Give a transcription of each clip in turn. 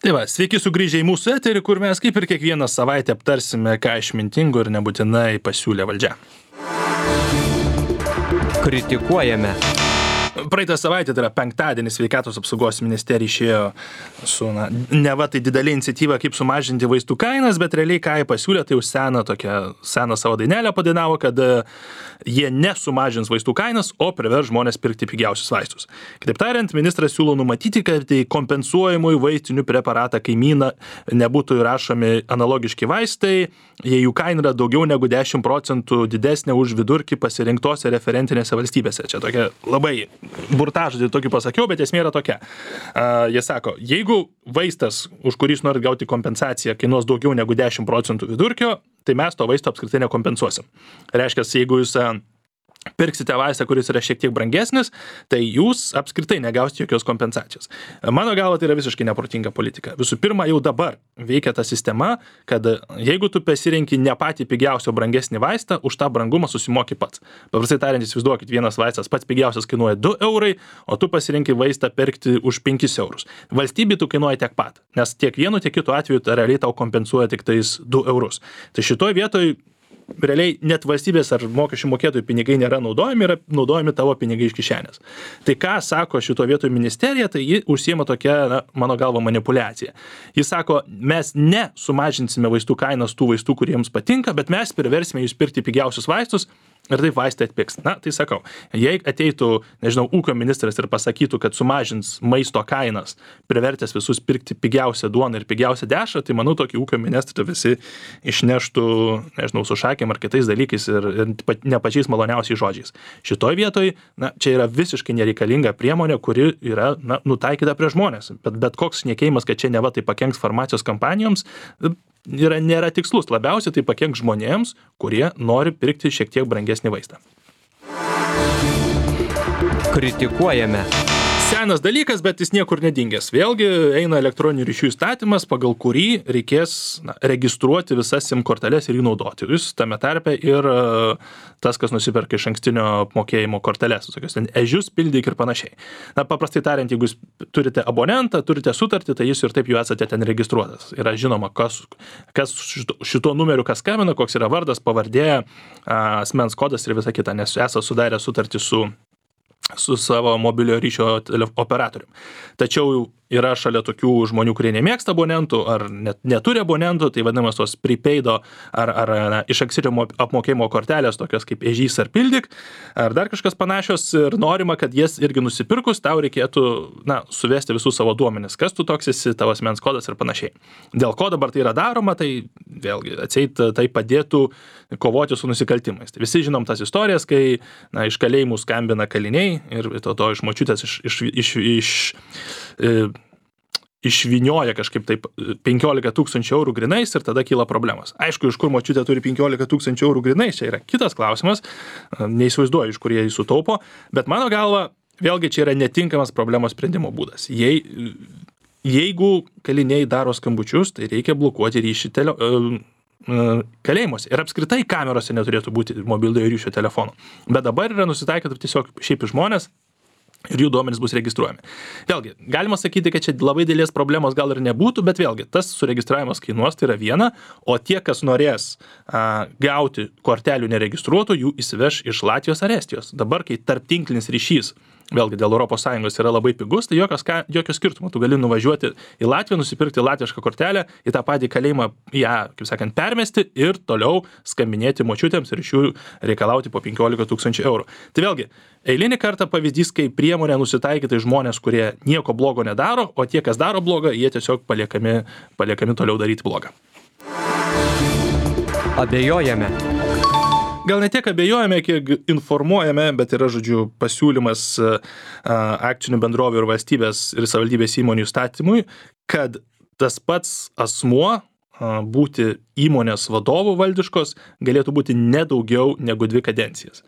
Tai va, sveiki sugrįžę į mūsų eterį, kur mes kaip ir kiekvieną savaitę aptarsime, ką išmintingo ir nebūtinai pasiūlė valdžia. Kritikuojame. Praeitą savaitę, tai yra penktadienį, Sveikatos apsaugos ministerija išėjo su, neva tai didelė iniciatyva, kaip sumažinti vaistų kainas, bet realiai ką jie pasiūlė, tai jau seną savo dainelę padainavo, kad jie nesumažins vaistų kainas, o privers žmonės pirkti pigiausius vaistus. Kitaip tariant, ministras siūlo numatyti, kad į kompensuojamųjų vaistinių preparatą kaimyną nebūtų įrašomi analogiški vaistai, jei jų kaina yra daugiau negu 10% didesnė už vidurkį pasirinktose referentinėse valstybėse. Čia tokia labai burtažodį tokį pasakiau, bet esmė yra tokia. Jie sako, jeigu vaistas, už kurį jūs norit gauti kompensaciją, kainuos daugiau negu 10% vidurkio, tai mes to vaisto apskritai nekompensuosim. Reiškia, jeigu jūs pirksite vaistą, kuris yra šiek tiek brangesnis, tai jūs apskritai negausite jokios kompensacijos. Mano galva, tai yra visiškai neprotinga politika. Visų pirma, jau dabar veikia ta sistema, kad jeigu tu pasirenki ne patį pigiausio brangesnį vaistą, už tą brangumą susimoki pats. Paprastai tariant, įsivaizduokit, vienas vaistas pats pigiausias kainuoja 2 eurai, o tu pasirenki vaistą pirkti už 5 eurus. Valstybei tu kainuoja tiek pat, nes tiek vienu, tiek kitu atveju realiai tau kompensuoja tik tais 2 eurus. Tai šitoj vietoj realiai net valstybės ar mokesčių mokėtojų pinigai nėra naudojami, yra naudojami tavo pinigai iš kišenės. Tai ką sako šito vietoj ministerija, tai ji užsiema tokia, mano galva, manipuliacija. Jis sako, mes nesumažinsime vaistų kainas tų vaistų, kuriems patinka, bet mes priversime jūs pirkti pigiausius vaistus ir taip vaistai atpigs. Tai sakau, jei ateitų, nežinau, ūkio ministras ir pasakytų, kad sumažins maisto kainas, privertęs visus pirkti pigiausią duoną ir pigiausią dešrą, tai manau, tokį ūkio ministrą visi išneštų, nežinau, su šakėm ar kitais dalykais ir ne pačiais maloniausiais žodžiais. Šitoj vietoj, čia yra visiškai nereikalinga priemonė, kuri yra, nutaikyta prie žmonės. Bet koks šnekėjimas, kad čia neva tai pakenks farmacijos kampanijoms, nėra tikslus. Labiausiai tai pakenks žmonėms, kurie nori pirkti šiek tiek brangesnį vaistą. Kritikuojame. Senas dalykas, bet jis niekur nedingęs. Vėlgi eina elektroninių ryšių įstatymas, pagal kurį reikės registruoti visas SIM korteles ir jų naudoti. Jūs tame tarpe ir tas, kas nusiperka iš ankstinio apmokėjimo korteles, tokius ten ežius, pildyk ir panašiai. Paprastai tariant, jeigu jūs turite abonentą, turite sutartį, tai jūs ir taip jau esate ten registruotas. Yra žinoma, kas šituo numeriu kas skambina, koks yra vardas, pavardė, asmens kodas ir visa kita, nes esate sudarę sutartį su savo mobiliojo ryšio operatorium. Tačiau yra šalia tokių žmonių, kurie nemėgsta abonentų ar net neturi abonentų, tai vadinamas tos prepaido ar iš ankstinio apmokėjimo kortelės, tokios kaip ežys ar pildyk, ar dar kažkas panašios ir norima, kad jas irgi nusipirkus, tau reikėtų suvesti visus savo duomenis, kas tu toks esi, tavo asmens kodas ir panašiai. Dėl ko dabar tai yra daroma, tai vėlgi atseit tai padėtų kovoti su nusikaltimais. Tai visi žinom tas istorijas, kai iš kalėjimų skambina kaliniai ir to iš močiutės išvinioja kažkaip taip 15 000 eurų grinais ir tada kyla problemos. Aišku, iš kur močiutė turi 15 000 eurų grinais, čia yra kitas klausimas, neįsivaizduoju, iš kur jie sutaupo, bet mano galva, vėlgi čia yra netinkamas problemos sprendimo būdas. Jeigu kaliniai daro skambučius, tai reikia blokuoti ryšį kalėjimuose. Ir apskritai kamerose neturėtų būti mobiliojo ryšio telefonų. Bet dabar yra nusitaikyta tiesiog šiaip žmonės ir jų duomenys bus registruojami. Vėlgi, galima sakyti, kad čia labai didelės problemos gal ir nebūtų, bet vėlgi, tas suregistravimas kainuos, tai yra viena, o tie, kas norės gauti kortelių neregistruotų, jų įsiveš iš Latvijos ar Estijos. Dabar, kai tarptinklinis ryšys, vėlgi dėl ES yra labai pigus, tai jokio skirtumo. Tu gali nuvažiuoti į Latviją, nusipirkti latvišką kortelę, į tą patį kalėjimą ją, kaip sakant, permesti ir toliau skambinėti močiutėms ir iš jų reikalauti po 15 000 eurų. Tai vėlgi, eilinį kartą pavyzdys, kai priemonė nusitaikyta žmonės, kurie nieko blogo nedaro, o tie, kas daro blogą, jie tiesiog paliekami toliau daryti blogą. Abejojame. Gal ne tiek abejojame, kiek informuojame, bet yra, pasiūlymas akcinių bendrovių ir valstybės ir savivaldybės įmonių įstatymui, kad tas pats asmuo būti įmonės vadovų valdiškos galėtų būti nedaugiau negu 2 kadencijas.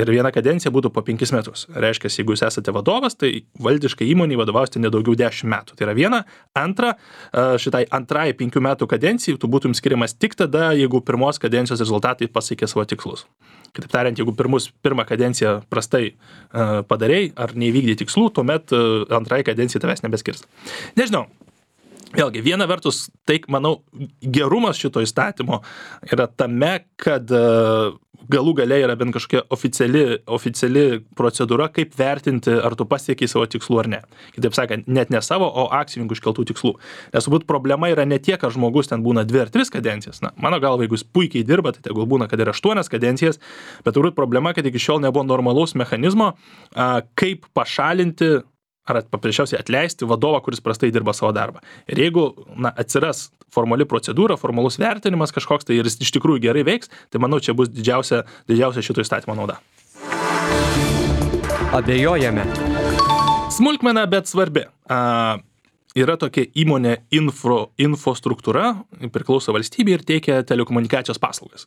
Ir viena kadencija būtų po 5 metus. Reiškia, jeigu jūs esate vadovas, tai valdiškai įmoniai vadovausite nedaugiau 10 metų. Tai yra viena. Antra, šitai antrai 5 metų kadencijai tu būtum skiriamas tik tada, jeigu pirmos kadencijos rezultatai pasiekė savo tikslus. Kitaip tariant, jeigu pirmą kadenciją prastai padarei ar neįvykdei tikslų, tuomet antrai kadencijai tavęs nebeskirs. Nežinau. Vėlgi, viena vertus, tai, manau, gerumas šito įstatymo yra tame, kad galų gale yra bent kažkokia oficiali procedūra, kaip vertinti, ar tu pasiekiai savo tikslų ar ne. Kitaip sakant, net ne savo, o akcininkų iškeltų tikslų. Nes turbūt problema yra ne tiek, ar žmogus ten būna 2 ar 3 kadencijas. Na, mano galva, jeigu jis puikiai dirba, tai tegul būna, kad ir 8 kadencijas, bet turbūt problema, kad iki šiol nebuvo normalaus mechanizmo, kaip pašalinti ar paprasčiausiai atleisti vadovą, kuris prastai dirba savo darbą. Ir jeigu atsiras formali procedūra, formalus vertinimas kažkoks, tai ir jis iš tikrųjų gerai veiks, tai manau, čia bus didžiausia šito įstatymo nauda. Abejojame. Smulkmena, bet svarbi. Yra tokia įmonė Infostruktūra, priklauso valstybei ir teikia telekomunikacijos paslaugas.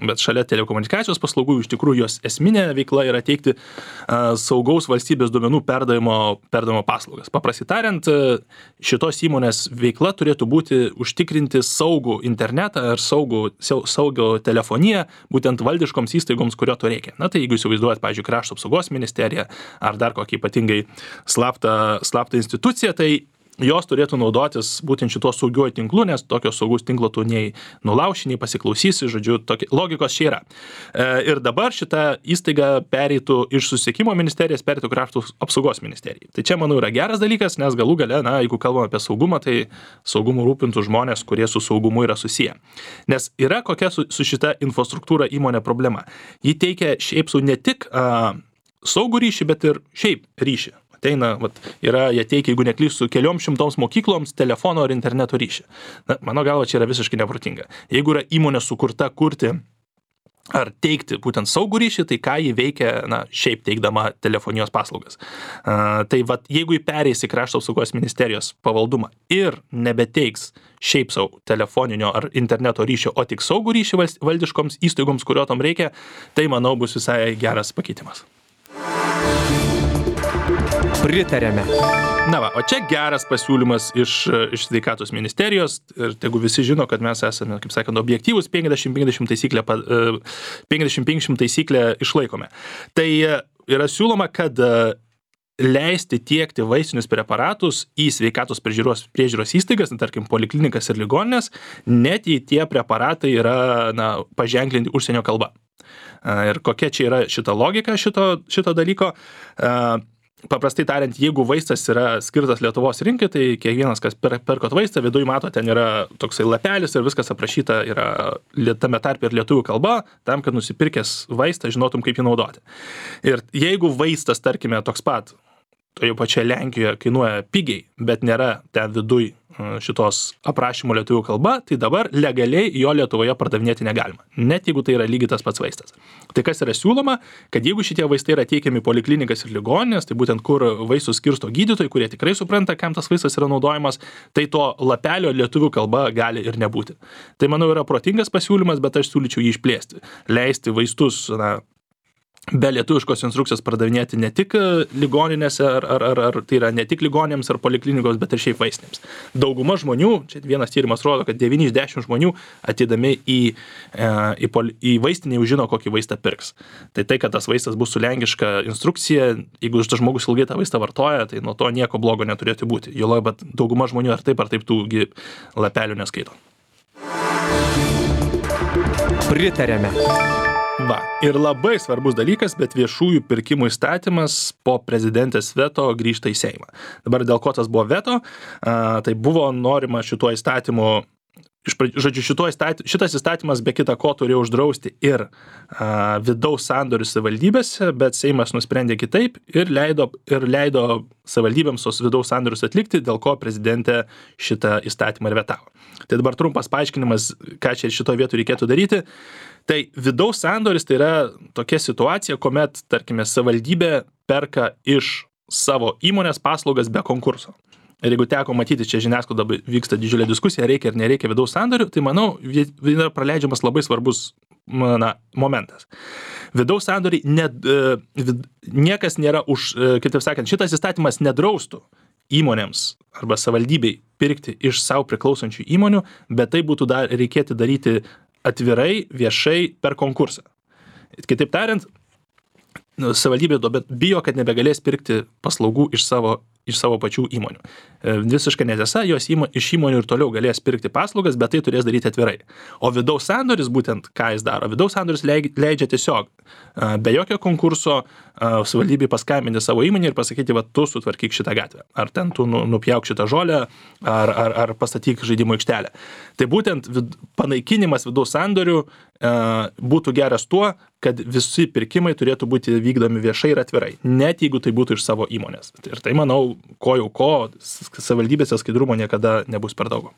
Bet šalia telekomunikacijos paslaugų iš tikrųjų jos esminė veikla yra teikti saugaus valstybės duomenų perdavimo paslaugas. Paprastai tariant, šitos įmonės veikla turėtų būti užtikrinti saugų internetą ir saugų telefoniją būtent valdiškoms įstaigoms, kurio to reikia. Na tai jeigu įsivaizduojat, pavyzdžiui, Krašto apsaugos ministerija ar dar kokį ypatingai slaptą instituciją, tai jos turėtų naudotis būtent šituo saugiuoju tinklu, nes tokio saugaus tinklo tu nei nulauši, nei pasiklausysi, žodžiu, logikos čia yra. Ir dabar šita įstaiga pereitų iš Susisiekimo ministerijos, pereitų Krašto apsaugos ministerijai. Tai čia, manau, yra geras dalykas, nes galų gale, jeigu kalbame apie saugumą, tai saugumu rūpintų žmonės, kurie su saugumu yra susiję. Nes yra kokia su šita infrastruktūra įmonė problema. Ji teikia šiaip su ne tik saugų ryšį, bet ir šiaip ryšį. Ateina, jie teikia, jeigu neklysiu, kelioms šimtoms mokykloms telefono ar interneto ryšį. Na, mano galva, čia yra visiškai neprotinga. Jeigu yra įmonė sukurta kurti ar teikti būtent saugų ryšį, tai ką jį veikia, šiaip teikdama telefonijos paslaugas. Tai jeigu jį pereis į Krašto apsaugos ministerijos pavaldumą ir nebeteiks šiaip savo telefoninio ar interneto ryšio, o tik saugų ryšį valdiškoms įstaigoms, kurio tam reikia, tai, manau, bus visai geras pakeitimas. Pritarėme. O čia geras pasiūlymas iš sveikatos ministerijos ir tegu visi žino, kad mes esame, kaip sakant, objektyvus 50-50 taisyklę išlaikome. Tai yra siūloma, kad leisti tiekti vaistinius preparatus į sveikatos priežiūros įstaigas, tarkim, poliklinikas ir ligoninės, net jei tie preparatai yra paženklinti užsienio kalba. Ir kokia čia yra šita logika šito dalyko? Paprastai tariant, jeigu vaistas yra skirtas Lietuvos rinkai, tai kiekvienas, kas perkot vaistą, viduj mato, ten yra toksai lapelis ir viskas aprašyta yra tame tarpe ir lietuvių kalba, tam, kad nusipirkęs vaistą žinotum, kaip jį naudoti. Ir jeigu vaistas, tarkime, toks pat, toje pačioje Lenkijoje kainuoja pigiai, bet nėra ten viduj šitos aprašymo lietuvių kalba, tai dabar legaliai jo Lietuvoje pardavinėti negalima, net jeigu tai yra lygiai tas pats vaistas. Tai kas yra siūloma, kad jeigu šitie vaistai yra teikiami poliklinikas ir ligoninės, tai būtent kur vaistus skirsto gydytojai, kurie tikrai supranta, kam tas vaistas yra naudojamas, tai to lapelio lietuvių kalba gali ir nebūti. Tai, manau, yra protingas pasiūlymas, bet aš siūlyčiau jį išplėsti. Leisti vaistus, be lietuviškos instrukcijos pardavinėti ne tik ligoninėse, ar tai yra ne tik ligoninėms ar poliklinikos, bet ir šiaip vaistinėms. Dauguma žmonių, čia vienas tyrimas rodo, kad 9 iš 10 žmonių ateidami į vaistinę jau žino, kokį vaistą pirks. Tai, kad tas vaistas bus su lenkiška instrukcija, jeigu tas žmogus ilgai tą vaistą vartoja, tai nuo to nieko blogo neturėtų būti. Juolab, bet dauguma žmonių ar taip tų lapelių neskaito. Pritarėme. Ir labai svarbus dalykas, bet viešųjų pirkimų įstatymas po prezidentės veto grįžta į Seimą. Dabar dėl ko tas buvo veto, tai buvo norima šituo įstatymu, šitas įstatymas be kita ko turėjo uždrausti ir vidaus sandorius savivaldybėse, bet Seimas nusprendė kitaip ir leido savivaldybėms tos vidaus sandorius atlikti, dėl ko prezidentė šitą įstatymą ir vetavo. Tai dabar trumpas paaiškinimas, ką čia šitoje vietoje reikėtų daryti. Tai vidaus sandoris tai yra tokia situacija, kuomet, tarkime, savivaldybė perka iš savo įmonės paslaugas be konkurso. Ir jeigu teko matyti, čia žiniasklaidoje vyksta didžiulė diskusija, reikia ar nereikia vidaus sandorių, tai manau, yra praleidžiamas labai svarbus momentas. Vidaus sandoriai niekas nėra kitaip sakant, šitas įstatymas nedraustų įmonėms arba savivaldybei pirkti iš savo priklausančių įmonių, bet tai būtų reikėti daryti atvirai, viešai per konkursą. Kitaip tariant, savivaldybė bijo, kad nebegalės pirkti paslaugų iš savo iš savo pačių įmonių. Visiškai netiesa, jos iš įmonių ir toliau galės pirkti paslaugas, bet tai turės daryti atvirai. O vidaus sandoris būtent ką jis daro? Vidaus sandoris leidžia tiesiog be jokio konkurso savivaldybei paskambinti savo įmonį ir pasakyti, va, tu sutvarkyk šitą gatvę. Ar ten tu nupjauk šitą žolę, ar pastatyk žaidimo aikštelę. Tai būtent panaikinimas vidaus sandorių būtų geras tuo, kad visi pirkimai turėtų būti vykdomi viešai ir atvirai, net jeigu tai būtų iš savo įmonės. Ir tai, manau, ko, savivaldybėse skaidrumo niekada nebus per daug.